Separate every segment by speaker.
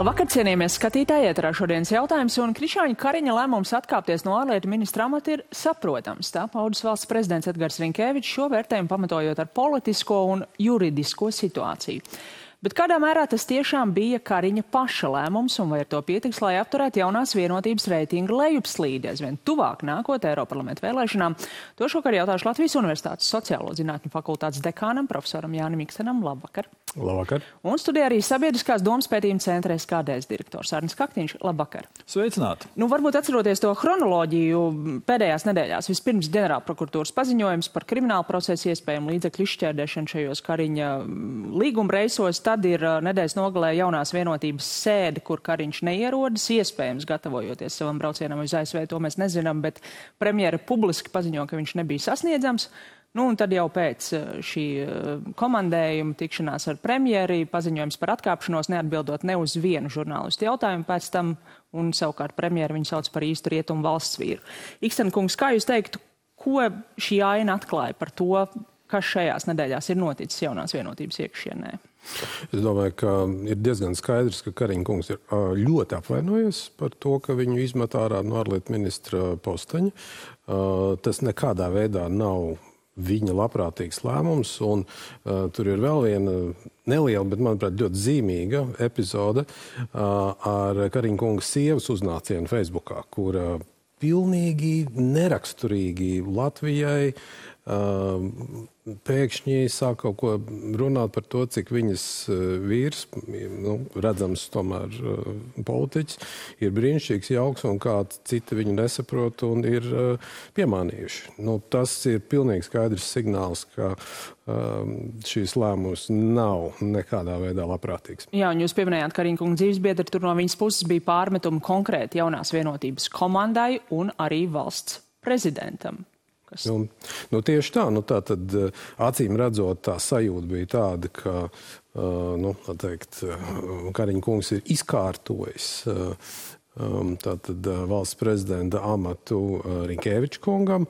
Speaker 1: Labvakar, cienījamies skatītāji, ēterā šodienas jautājums, un Krišjāņa Kariņa lēmums atkāpties no ārlietu ministra amata ir saprotams. Tā paudis valsts prezidents Edgars Rinkēvičs šo vērtējumu pamatojot ar politisko un juridisko situāciju. Bet kādā mērā tas tiešām bija Kariņa paša lēmums, un vai ar to pietiks, lai apturētu jaunās vienotības reitinga lejupslīdi aizvien tuvāk nākot Eiroparlamenta vēlēšanām? To šokar jautāšu Latvijas Universitātes sociālo zinātņu fakultātes dekānam, profesoram Jānim Ikstenam. Labvakar!
Speaker 2: Labvakar!
Speaker 1: Un studijā arī Sabiedriskās domas pētījuma centra SKDS direktors Arnis Kaktiņš. Labvakar!
Speaker 2: Sveicināti!
Speaker 1: Varbūt atceroties to chronoloģiju pēdējās nedēļās, vispirms ģenerālprokuratūras paziņojums par kriminālu procesu iespējamu līdzekļu izšķērdēšanu šajos Kariņa līguma reisos. Tad ir nedēļas nogalē jaunās vienotības sēde, kur Kariņš neierodas, iespējams gatavojoties savam braucienam uz ASV, to mēs nezinām, bet premjera publiski paziņo, ka viņš nebija sasniedzams. Un tad jau pēc šī komandējuma tikšanās ar premjeri paziņojums par atkāpšanos, neatbildot ne uz vienu žurnālistu jautājumu pēc tam, un savukārt premjeri viņu sauc par īstu rietumu valsts vīru. Iksten kungs, kā jūs teiktu, ko šī aina atklāja par to, kas šajās nedēļās ir noticis jaunās vienotības iekšienē?
Speaker 2: Es domāju, ka ir diezgan skaidrs, ka Kariņa kungs ir ļoti apvainojies par to, ka viņu izmet ārā no ārlietu ministra posteņa. Tas nekādā veidā nav viņa labprātīgs lēmums, un tur ir vēl viena neliela, bet, manuprāt, ļoti zīmīga epizode ar Kariņa kunga sievas uznācienu Facebookā, kura pilnīgi neraksturīgi Latvijai pēkšņi sāk kaut ko runāt par to, cik viņas vīrs, redzams tomēr politiķis, ir brīnišķīgs, jauks un kā citi viņu nesaprot un ir piemānījuši. Tas ir pilnīgi skaidrs signāls, ka šīs lēmums nav nekādā veidā labprātīgs.
Speaker 1: Jā, un jūs pieminējāt Kariņa kunga dzīvesbiedri, tur no viņas puses bija pārmetumi konkrēti jaunās vienotības komandai un arī valsts prezidentam.
Speaker 2: Tieši tā. Tā tad acīm redzot, tā sajūta bija tāda, ka Kariņa kungs ir izkārtojis tātad valsts prezidenta amatu Rinkēviča kungam,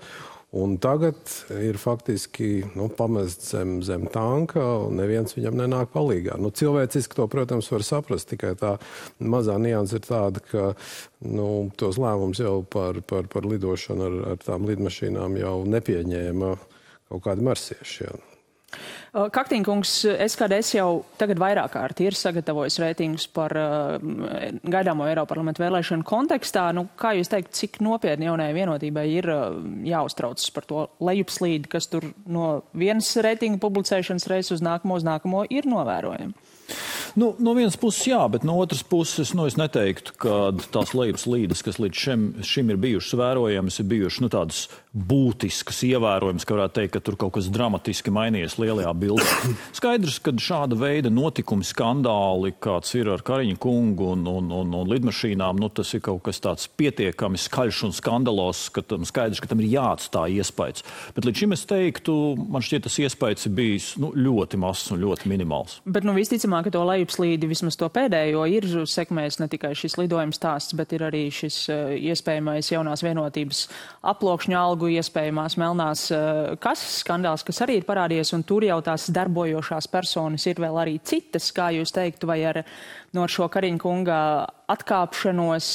Speaker 2: un tagad ir faktiski pamest zem tanka, un neviens viņam nenāk palīgā. Cilvēciski to, protams, var saprast, tikai tā mazā nianse ir tāda, ka tos lēmums jau par lidošanu ar tām lidmašīnām jau nepieņēma kaut kādi marsieši.
Speaker 1: Kaktiņa kungs, SKDS jau tagad vairāk kārt ir sagatavojis reitingus par gaidāmo Eiroparlamenta vēlēšanu kontekstā. Kā jūs teikt, cik nopietni jaunajai vienotībai ir jāuztraucas par to lejupslīdi, kas tur no vienas reitingu publicēšanas reizes uz nākamo ir novērojami?
Speaker 3: No vienas puses jā, bet no otras puses es neteiktu, ka tās lejupslīdes, kas līdz šim ir bijušas vērojamas, ir bijušas tādas būtiskas, ievērojamas, ka varētu teikt, ka tur kaut kas dramatiski mainījies lielajā bildē. Skaidrs, ka šāda veida notikumi, skandāli, kāds ir ar Kariņa kungu un lidmašīnām, tas ir kaut kas tāds pietiekami skaļš un skandalos, ka skaidrs, ka tam ir jāatstāj iespējas. Bet līdz šim es teiktu, man šķiet, tas iespējas ir bijis ļoti mazs un ļoti minimāls.
Speaker 1: Bet visticamāk, ka to lejupslīdi, vismaz to pēdējo, ir sekmējis ne tikai šis lidojums stāsts, bet ir arī šis iespējamais jaunās vienotības aploksņu algu, iespējamās melnās kases skandāls, kas arī ir parādījies, un tur jau tās darbojošās personas ir vēl arī citas, kā jūs teiktu, vai ar šo Kariņa kunga atkāpšanos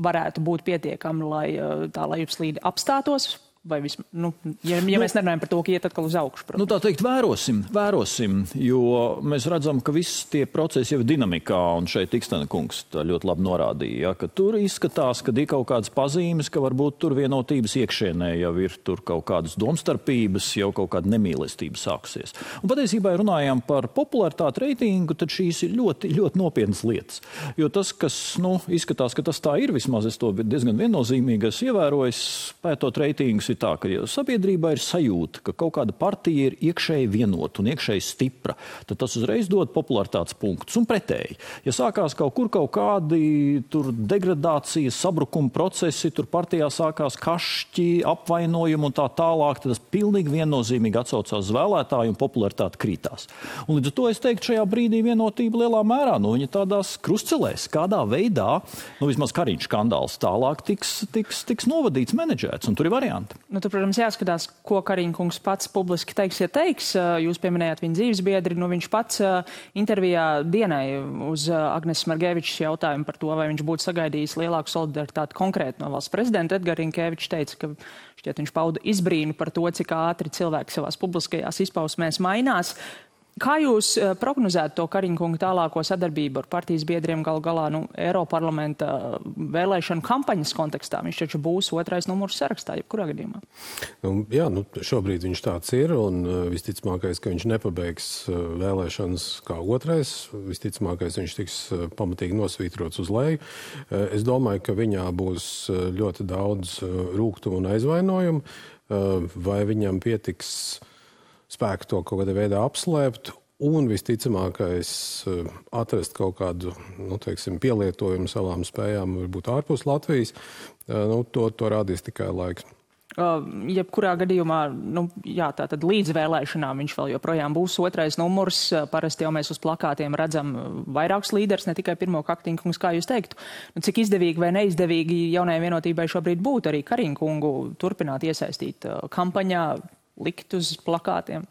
Speaker 1: varētu būt pietiekami, lai tā lejupslīde apstātos? Vai ja mēs nerunājam par to, ka iet atkal uz augšu?
Speaker 3: Tā teikt, vērosim, jo mēs redzam, ka viss tie procesi jau ir dinamikā, un šeit Ikstena kungs tā ļoti labi norādīja, ka tur izskatās, ka ir kaut kādas pazīmes, ka varbūt tur vienotības iekšienē jau ir tur kaut kādas domstarpības, jau kaut kāda nemīlestība sāksies. Un patiesībā, ja runājām par popularitāti reitingu, tad šīs ir ļoti, ļoti nopietnas lietas. Jo tas, kas izskatās, ka tas tā ir, vismaz es to diezgan viennozīmīgi esmu ievērojis, pētot reitingus, ir tā, ka sabiedrībā ir sajūta, ka kaut kāda partija ir iekšēji vienota un iekšēji stipra, tad tas uzreiz dod popularitātes punktus un pretēji. Ja sākās kaut kādi tur degradācijas, sabrukuma procesi, tur partijā sākās kašķi, apvainojumi un tā tālāk, tad tas pilnīgi viennozīmīgi atsaucās uz vēlētāju un popularitāte krītās. Un līdz ar to es teiktu, šajā brīdī vienotība lielā mērā, viņa tādās krustcelēs, kādā veidā, vismaz Kariņa skandāls tālāk tiks novadīts, menedžēts, un tur ir varianti.
Speaker 1: Tur, protams, jāskatās, ko Kariņkungs pats publiski teiks, ja teiks. Jūs pieminējāt viņa dzīvesbiedri. Viņš pats intervijā Dienai uz Agneses Margevičas jautājumu par to, vai viņš būtu sagaidījis lielāku solidaritāti konkrēti no valsts prezidenta. Edgars Rinkēvičs teica, ka šķiet viņš pauda izbrīnu par to, cik ātri cilvēki savās publiskajās izpausmēs mainās. Kā jūs prognozētu to Kariņkunga tālāko sadarbību ar partijas biedriem galu galā Eiroparlamenta vēlēšanu kampaņas kontekstā? Viņš taču būs 2. numurs sarakstā, jebkurā gadījumā.
Speaker 2: Šobrīd viņš tāds ir, un visticamākais, ka viņš nepabeigs vēlēšanas kā 2. Visticamākais, viņš tiks pamatīgi nosvītrots uz leju. Es domāju, ka viņā būs ļoti daudz rūgtumu un aizvainojumu, vai viņam pietiks spēku to kaut kādā veidā apslēpt un visticamākais atrast kaut kādu, pielietojumu savām spējām, varbūt ārpus Latvijas. To rādīs tikai laiks.
Speaker 1: Jebkurā gadījumā, tātad līdz vēlēšanām viņš vēl joprojām būs 2. numurs. Parasti jau mēs uz plakātiem redzam vairākus līderus, ne tikai pirmo Kariņkungu, kā jūs teiktu. Cik izdevīgi vai neizdevīgi jaunajai vienotībai šobrīd būtu arī Kariņkungu turpināt iesaistīt kampaņā, likt uz plakātiem?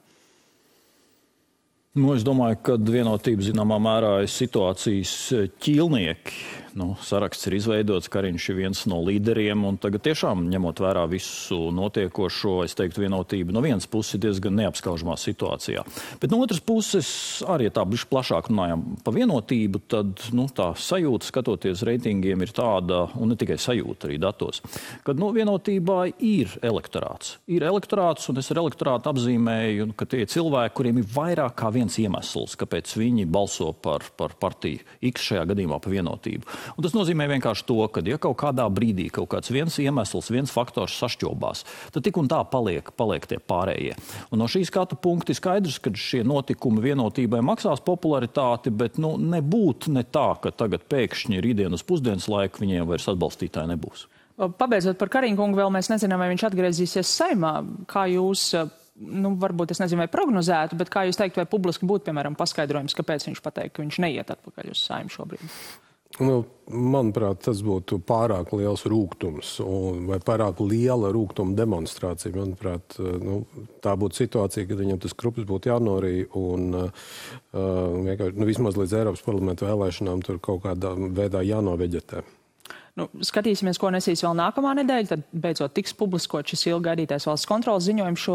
Speaker 3: Es domāju, ka vienotība zināmā mērā ir situācijas ķīlnieki. Saraksts ir izveidots, Kariņš ir viens no līderiem, un tagad tiešām, ņemot vērā visu notiekošo, es teiktu, vienotība no vienas puses ir diezgan neapskaužamā situācijā. Bet no otras puses, arī ja tā bišķi plašāk runājam pa vienotību, tad tā sajūta, skatoties reitingiem, ir tāda, un ne tikai sajūta, arī datos, kad vienotībā ir elektorāts. Ir elektorāts, un es ar elektorātu apzīmēju, ka tie cilvēki, kuriem ir vairāk kā viens iemesls, kāpēc viņi balso par partiju X šajā gadījumā pa vienotību. Un tas nozīmē vienkārši to, ka ja kaut kādā brīdī kaut kāds viens iemesls, viens faktors sašķobās, tad tik un tā paliek tie pārējie. Un no šī skatu punkta ir skaidrs, ka šie notikumi vienotībai maksās popularitāti, bet nebūtu ne tā, ka tagad pēkšņi rītdien uz pusdienas laiku viņiem vairs atbalstītāji nebūs.
Speaker 1: Pabeidzot par Kariņkungu, vēl mēs nezinām, vai viņš atgriezīsies Saeimā. Kā jūs, varbūt es nezinu, vai prognozētu, bet kā jūs teiktu, vai publiski būtu, piemēram, paskaidrojums, kāpēc viņš pateikt, ka viņš neiet atpakaļ uz Saeimu šobrīd?
Speaker 2: Manuprāt, tas būtu pārāk liels rūgtums vai pārāk liela rūgtuma demonstrācija. Manuprāt, tā būtu situācija, kad viņam tas krupis būtu jānorī un vismaz līdz Eiropas parlamenta vēlēšanām tur kaut kādā veidā jānoveģetē.
Speaker 1: Skatīsimies, ko nesīs vēl nākamā nedēļa, tad beidzot tiks publiskot šis ilgi gaidītais valsts kontrolas ziņojums šo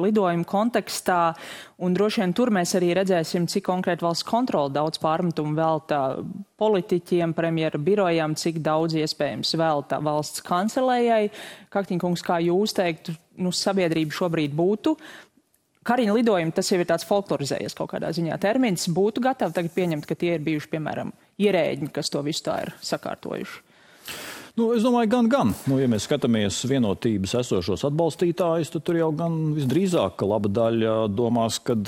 Speaker 1: lidojumu kontekstā, un droši vien tur mēs arī redzēsim, cik konkrēti valsts kontrola daudz pārmetumu velta politiķiem, premjera birojām, cik daudz iespējams velta valsts kancelējai. Kariņkungs, kā jūs teiktu, sabiedrība šobrīd būtu. Kariņa lidojumi, tas jau ir tāds folklorizējies kaut kādā ziņā termins, būtu gatavi tagad pieņemt, ka tie ir bijuši, piemēram, ierēģi, kas to visu tā ir sakārtojuši.
Speaker 3: Es domāju, gan. Ja mēs skatāmies vienotības esošos atbalstītājus, tad tur jau gan visdrīzāk, ka laba daļa domās, kad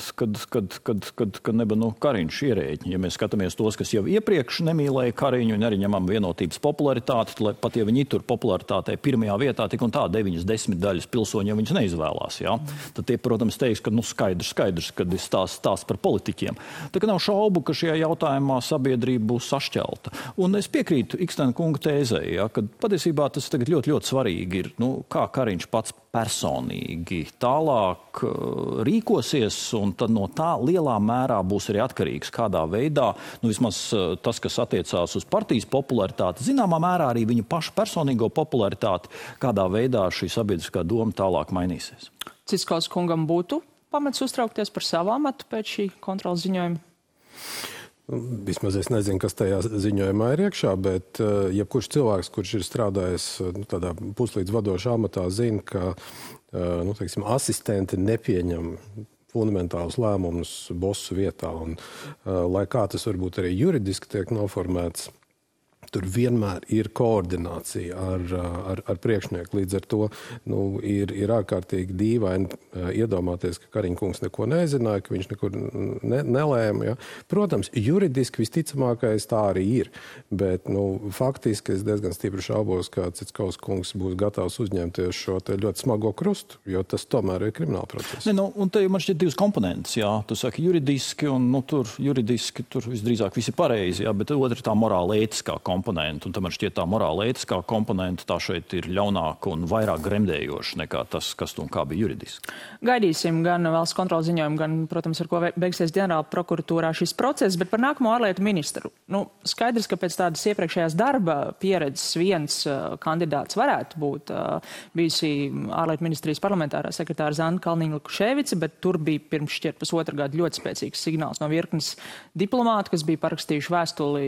Speaker 3: neba Kariņš ierēģi. Ja mēs skatāmies tos, kas jau iepriekš nemīlēja Kariņu un arī ņemam vienotības popularitāti, pat ja viņi tur popularitātei pirmajā vietā, tik un tā 9/10 daļas pilsoņi, ja viņus neizvēlās, tad tie, protams, teiks, ka skaidrs, kad ir stāsts par politiķiem. Tā kā nav šaubu, ka šajā jautājumā sabiedrība būs sašķelta. Un es piekrītu Ikstena kunga tēzei, ka patiesībā tas tagad ļoti, ļoti svarīgi ir, kā Kariņš pats personīgi tālāk rīkosies, un tad no tā lielā mērā būs arī atkarīgs, kādā veidā, vismaz tas, kas attiecās uz partijas popularitāti, zināmā mērā arī viņa paša personīgo popularitāti, kādā veidā šī sabiedriskā doma tālāk mainīsies.
Speaker 1: Ciskaus kungam būtu pamats uztraukties par savu amatu pēc šī kontrolas ziņojuma?
Speaker 2: Vismaz es nezinu, kas tajā ziņojumā ir iekšā, bet jebkurš cilvēks, kurš ir strādājis tādā puslīdz vadošā amatā, zina, ka asistenti nepieņem fundamentālus lēmumus bosu vietā. Un, lai kā tas varbūt arī juridiski tiek noformēts, tur vienmēr ir koordinācija ar priekšnieku. Līdz ar to ir ārkārtīgi dīvaini iedomāties, ka Kariņkungs neko nezināja, ka viņš nekur nelēma. Ja? Protams, juridiski visticamākais tā arī ir, bet faktiski es diezgan stipri šaubos, ka Ciskaus kungs būs gatavs uzņemties šo te ļoti smago krustu, jo tas tomēr ir krimināla process.
Speaker 3: Un te man šķiet divas komponentes. Tu saki juridiski, un tur juridiski tur visdrīzāk viss ir pareizi, bet otra ir tā morāla ētiskā komponente. komponente, un tam man šķiet tā morāla ētiskā komponente, tā šeit ir ļaunāka un vairāk gremdējoša nekā tas, kas un kā bija juridiski.
Speaker 1: Gaidīsim gan valsts kontrolas ziņojumu, gan, protams, ar ko beigsies ģenerāla prokuratūrā šis process, bet par nākamo ārlietu ministru. Skaidrs, ka pēc tādas iepriekšējās darba pieredzes viens kandidāts varētu būt bijusi ārlietu ministrijas parlamentārā sekretāra Zanda Kalniņa-Lukaševica, bet tur bija pirms šķiet pusotru gadu ļoti spēcīgs signāls no virknes diplomātu, kas bija parakstījuši vēstuli,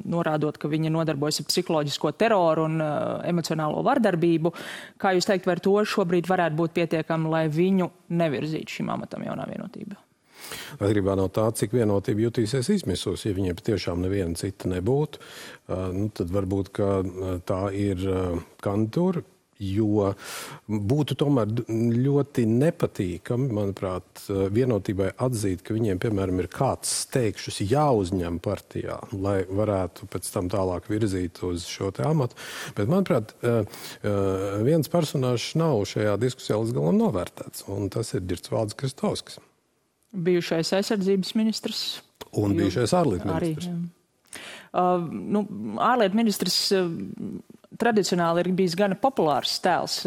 Speaker 1: norādot, ka viņi nodarbojas ar psiholoģisko teroru un emocionālo vardarbību. Kā jūs teikt, vai ar to šobrīd varētu būt pietiekami, lai viņu nevirzītu šim amatam jaunā vienotība?
Speaker 2: Atkarībā no tā, cik vienotība jutīsies izmisos, ja viņiem patiešām neviena cita nebūtu, tad varbūt, ka tā ir kandidatūra. Jo būtu tomēr ļoti nepatīkami, manuprāt, vienotībai atzīt, ka viņiem, piemēram, ir kāds steigšus jāuzņem partijā, lai varētu pēc tam tālāk virzīt uz šo te amatu. Bet, manuprāt, viens personāžs nav šajā diskusijā līdz galam novērtēts, un tas ir Ģirdsvalds Kristovskis.
Speaker 1: Bijušais aizsardzības ministrs.
Speaker 2: Un bijušais ārlietu ministrs.
Speaker 1: Ārlietu ministrs tradicionāli ir bijis gana populārs tēls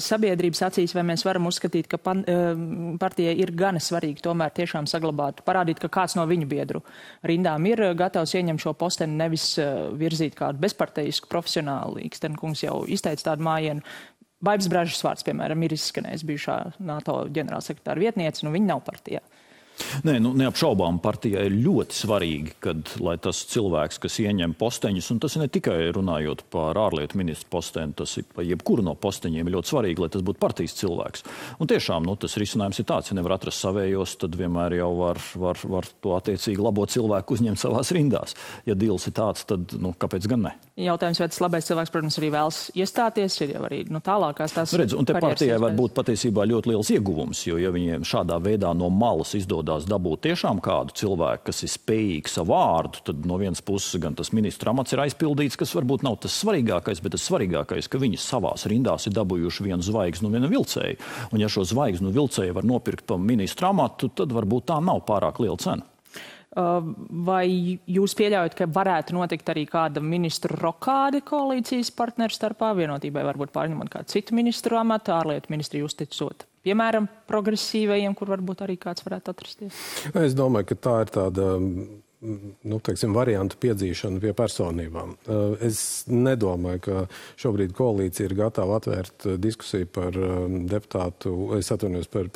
Speaker 1: sabiedrības acīs, vai mēs varam uzskatīt, ka partijai ir gana svarīgi tomēr tiešām saglabāt, parādīt, ka kāds no viņu biedru rindām ir gatavs ieņemt šo posteni, nevis virzīt kādu bezparteisku profesionālu. Ikstenkungs jau izteica tādu mājienu. Baibas Bražas vārds, piemēram, ir izskanējis bijušā NATO ģenerālsekretāra vietniece, viņa nav partijā.
Speaker 3: Nē, neapšaubām partijai ir ļoti svarīgi, lai tas cilvēks, kas ieņem posteņus, un tas ir ne tikai runājot par ārlietu ministru posteni, tas ir par jebkuru no posteņiem ļoti svarīgi, lai tas būtu partijas cilvēks. Un tiešām, tas risinājums ir tāds, ja nevar atrast savējos, tad vienmēr jau var to attiecīgi labo cilvēku uzņemt savās rindās. Ja dīls ir tāds, tad, kāpēc gan ne?
Speaker 1: Jautājums, vai tas labais cilvēks, protams, arī vēlas iestāties, ir jau arī tālākās tās
Speaker 3: karjeras. Un te partijai var būt patiesībā ļoti liels ieguvums, jo ja viņiem šādā veidā no malas izdodas dabūt tiešām kādu cilvēku, kas ir spējīgs savu vārdu, tad no vienas puses gan tas ministra amats ir aizpildīts, kas varbūt nav tas svarīgākais, bet tas svarīgākais, ka viņi savās rindās ir dabūjuši vienu zvaigznu un vienu vilcēju. Un ja šo zvaigznu vilcēju var nopirkt pa ministra amatu, tad varbūt tā nav pārāk liela cena.
Speaker 1: Vai jūs pieļaujat, ka varētu notikt arī kāda ministru rokāde koalīcijas partneru starpā, vienotībai varbūt pārņemot kādu citu ministru amatu, ārlietu ministriju uzticot? Piemēram, progresīvajiem, kur varbūt arī kāds varētu atrasties?
Speaker 2: Es domāju, ka tā ir tāda, variantu piedzīšana pie personībām. Es nedomāju, ka šobrīd koalīcija ir gatava atvērt diskusiju par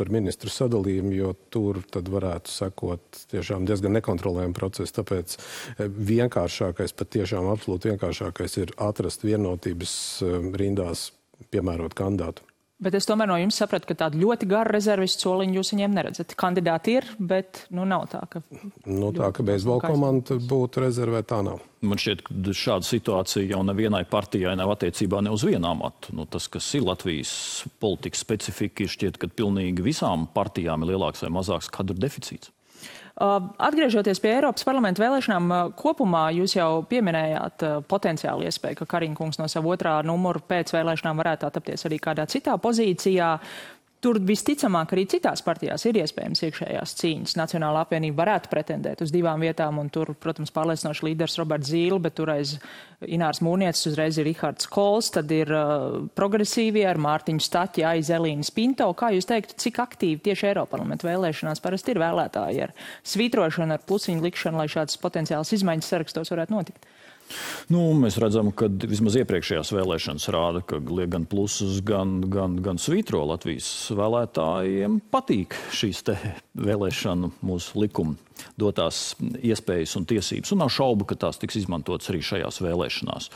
Speaker 2: par ministru sadalījumu, jo tur tad varētu sekot tiešām diezgan nekontrolējumu procesu. Tāpēc vienkāršākais, pat tiešām absolūti vienkāršākais ir atrast vienotības rindās piemērot kandidātu.
Speaker 1: Bet es tomēr no jums sapratu, ka tādu ļoti garu rezervistu soliņu jūs viņiem neredzat. Kandidāti ir, bet nav tā, ka...
Speaker 2: tā, ka beisbola komanda būtu rezervēta, tā nav.
Speaker 3: Man šķiet, ka šāda situācija jau nevienai partijai nav attiecībā ne uz vienu amatu. Tas, kas ir Latvijas politikas specifika, šķiet, ka pilnīgi visām partijām ir lielāks vai mazāks kadru deficīts.
Speaker 1: Atgriežoties pie Eiropas parlamenta vēlēšanām, kopumā jūs jau pieminējāt potenciāli iespēju, ka Kariņkungs no savu otrā numuru pēc vēlēšanām varētu attapties arī kādā citā pozīcijā. Tur visticamāk arī citās partijās ir iespējams iekšējās cīņas. Nacionālā apvienība varētu pretendēt uz 2 vietām, un tur, protams, pārliecinoši līderis Roberts Zīle, bet tur aiz Ināras Mūrnieces uzreiz ir Rihards Kols, tad ir progresīvie ar Mārtiņu Staķi, aiz Elīnas Pinto. Kā jūs teiktu, cik aktīvi tieši Eiroparlamenta vēlēšanās parasti ir vēlētāji ar svītrošanu, ar plusiņu likšanu, lai šādas potenciālas izmaiņas sarakstos varētu notikt?
Speaker 3: Mēs redzam, ka vismaz iepriekšējās vēlēšanas rāda, ka gan plusus, gan svītro Latvijas vēlētājiem patīk šīs te vēlēšanu mūsu likuma dotās iespējas un tiesības. Un nav šaubu, ka tās tiks izmantotas arī šajās vēlēšanās.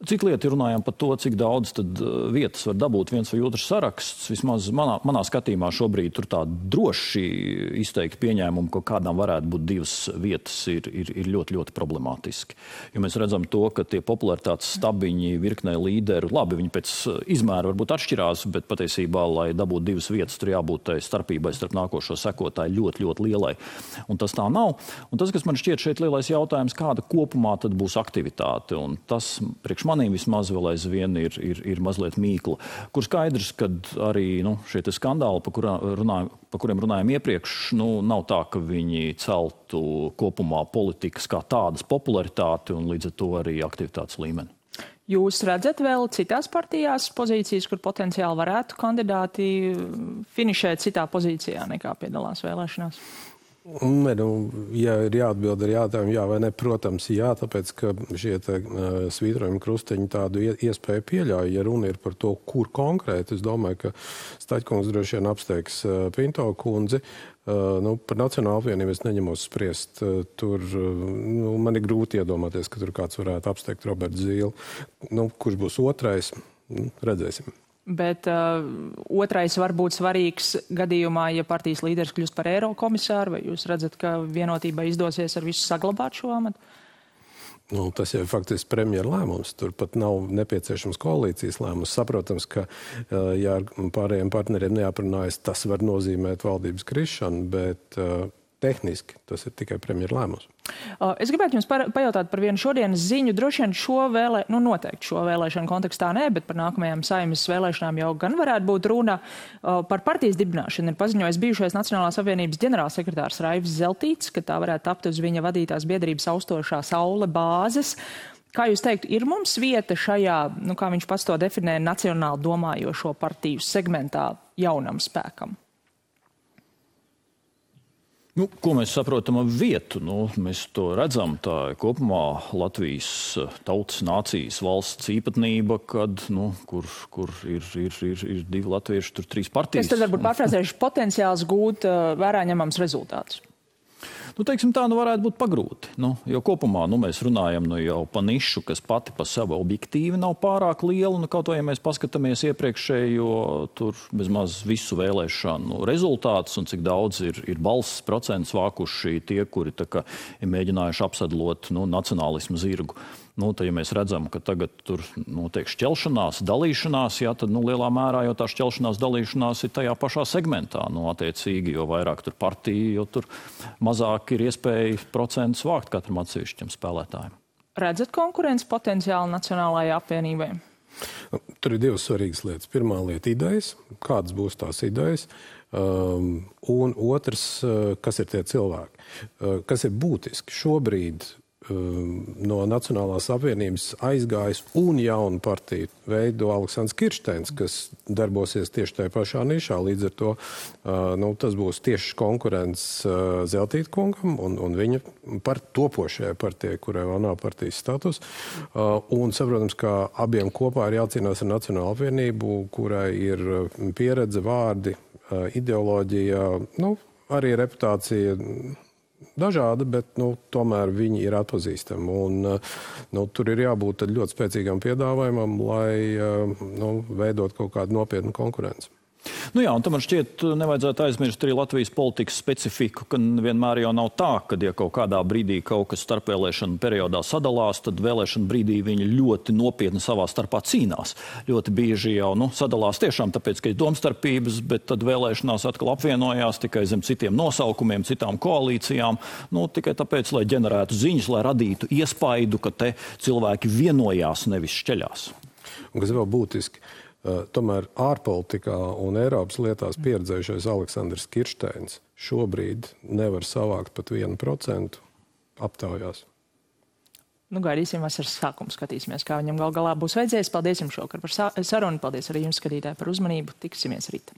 Speaker 3: Cik lieti runājam par to, cik daudz tad vietas var dabūt viens vai otrs saraksts. Vismaz manā skatījumā šobrīd tur tā droši izteikti pieņēmumi, ka kādām varētu būt 2 vietas, ir ļoti, ļoti problemātiski. Jo mēs redzam to, ka tie popularitātes stabiņi virknē līderu, labi, viņi pēc izmēra varbūt atšķirās, bet patiesībā, lai dabūtu 2 vietas, tur jābūt tai starpībai starp nākošo sekotāju ļoti, ļoti lielai. Un tas tā nav. Un tas, kas man šķiet šeit lielais jautājums, kāda kopumā tad būs aktivitāte. Un tas priekš priekš manīm vismaz vēl aizvien ir mazliet mīkla, kur skaidrs, ka arī šie skandāli, par kuriem runājam iepriekš, nav tā, ka viņi celtu kopumā politikas kā tādas popularitāti un līdz ar to arī aktivitātes līmeni.
Speaker 1: Jūs redzat vēl citās partijās pozīcijas, kur potenciāli varētu kandidāti finišēt citā pozīcijā nekā piedalās vēlēšanās?
Speaker 2: Ja ir jāatbild ar jautājumu jā vai ne, protams, jā, tāpēc, ka šie svītrojumi krusteņi tādu iespēju pieļauj. Ja runa ir par to, kur konkrēti, es domāju, ka Staļkungs droši vien apsteigs Pinto kundzi. Par Nacionālo apvienību es neņemos spriest. Tur man ir grūti iedomāties, ka tur kāds varētu apsteigt Robertu Zīli. Kurš būs otrais, redzēsim.
Speaker 1: Bet otrais var būt svarīgs gadījumā, ja partijas līderis kļūst par Eirokomisāru, vai jūs redzat, ka vienotībai izdosies ar visu saglabāt šo amatu?
Speaker 2: Tas jau ir faktiski premjera lēmums. Tur pat nav nepieciešams koalīcijas lēmums. Saprotams, ka ja ar pārējiem partneriem neaprunājas, tas var nozīmēt valdības krišanu, bet tehniski tas ir tikai premjera lēmums.
Speaker 1: Es gribētu jums pajautāt par vienu šodienas ziņu. Droši vien noteikti šo vēlēšanu kontekstā nē, bet par nākamajām Saeimas vēlēšanām jau gan varētu būt runa. Par partijas dibināšanu ir paziņojis bijušais Nacionālās apvienības ģenerālsekretārs Raivs Zeltīts, ka tā varētu tapt uz viņa vadītās biedrības austošā Saule bāzes. Kā jūs teiktu, ir mums vieta šajā, kā viņš pats to definē, nacionāli domājošo partiju segmentā jaunam spēkam?
Speaker 3: Ko mēs saprotam ar vietu? Mēs to redzam, tā ir kopumā Latvijas tautas nācijas valsts īpatnība, kad, kur ir divi latvieši, tur trīs partijas.
Speaker 1: Es tad varbūt pārfrāzēšu potenciāls gūt vērā ņemams rezultātus.
Speaker 3: Teiksim tā, varētu būt pagrūti. Jo kopumā mēs runājam jau pa nišu, kas pati pa sevi objektīvi nav pārāk liela. Kaut vai, ja mēs paskatāmies iepriekšējo tur bezmaz visu vēlēšanu rezultātus un cik daudz ir balss procents vākuši tie, kuri ir mēģinājuši apsadlot nacionālismu zirgu. Tad, ja mēs redzam, ka tagad tur notiek šķelšanās, dalīšanās, tad lielā mērā jau tā šķelšanās, dalīšanās ir tajā pašā segmentā. Attiecīgi, jo vairāk tur partiju, jo tur mazāk ir iespēja procentus vākt katram atsevišķam spēlētājiem.
Speaker 1: Redzat konkurences potenciālu Nacionālajai apvienībai?
Speaker 2: Tur ir divas svarīgas lietas. Pirmā lieta - idejas. Kādas būs tās idejas? Un otrs, kas ir tie cilvēki? Kas ir būtiski? Šobrīd no Nacionālās apvienības aizgājis un jaunu partiju veido Aleksandrs Kiršteins, kas darbosies tieši tajā pašā nišā. Līdz ar to tas būs tieši konkurents Zeltīta kungam un viņa par topošajai partijai, kurai vēl nav partijas status. Un saprotams, ka abiem kopā ir jācīnās ar Nacionālo apvienību, kurai ir pieredze, vārdi, ideoloģija, arī reputācija dažādi, bet tomēr viņi ir atpazīstami. Un tur ir jābūt ļoti spēcīgam piedāvājumam, lai veidot kaut kādu nopietnu konkurenci.
Speaker 3: Jā, un tam man šķiet nevajadzētu aizmirst arī Latvijas politikas specifiku, ka vienmēr jau nav tā, ka ja kaut kādā brīdī kaut kas starpvēlēšanu periodā sadalās, tad vēlēšanu brīdī viņi ļoti nopietni savā starpā cīnās. Ļoti bieži jau sadalās tiešām tāpēc, ka ir domstarpības, bet tad vēlēšanās atkal apvienojās tikai zem citiem nosaukumiem, citām koalīcijām, tikai tāpēc, lai ģenerētu ziņas, lai radītu iespaidu, ka te cilvēki vienojās, nevis šķeļās.
Speaker 2: Un kas vēl būtiski, tomēr ārpolitikā un Eiropas lietās pieredzējušais Aleksandrs Kiršteins šobrīd nevar savākt pat 1% aptaujās.
Speaker 1: Gaidīsim vasaras sākumu, skatīsimies, kā viņam galā būs veidzies. Paldies jums šovakar par sarunu, paldies arī jums, skatītāji, par uzmanību. Tiksimies rīt.